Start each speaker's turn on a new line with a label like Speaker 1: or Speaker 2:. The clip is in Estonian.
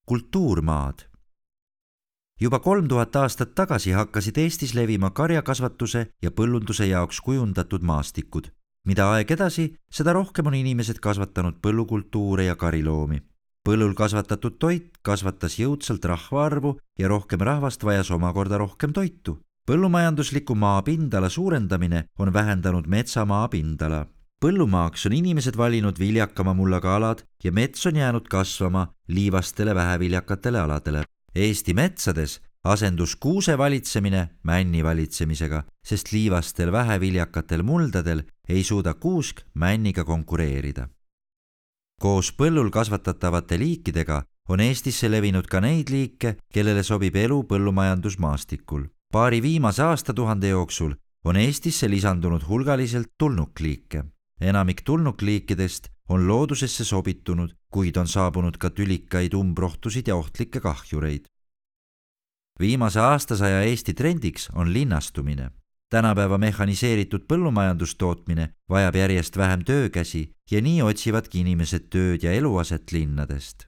Speaker 1: kultuurmaad. Juba 3000 aastat tagasi hakkasid Eestis levima karjakasvatuse ja põllunduse jaoks kujundatud maastikud. Mida aeg edasi, seda rohkem on inimesed kasvatanud põllukultuure ja kariloomi. Põllul kasvatatud toit kasvatas jõudsalt rahvaarvu ja rohkem rahvast vajas omakorda rohkem toitu. Põllumajandusliku maa pindala suurendamine on vähendanud metsamaa pindala. Põllumaaks on inimesed valinud viljakama mullaga alad ja mets on jäänud kasvama liivastele väheviljakatele aladele. Eesti metsades asendus kuuse valitsemine männi valitsemisega, sest liivastel väheviljakatel muldadel ei suuda kuusk männiga konkureerida. Koos põllul kasvatatavate liikidega on Eestisse levinud ka neid liike, kellele sobib elu põllumajandusmaastikul. Paari viimase aastatuhande jooksul on Eestisse lisandunud hulgaliselt tulnukliike. Enamik tulnukliikidest on loodusesse sobitunud, kuid on saabunud ka tülikaid umbrohtusid ja ohtlikke kahjureid. Viimase aastasaja Eesti trendiks on linnastumine. Tänapäeva mehhaniseeritud põllumajandustootmine vajab järjest vähem töökäsi ja nii otsivadki inimesed tööd ja eluaset linnadest.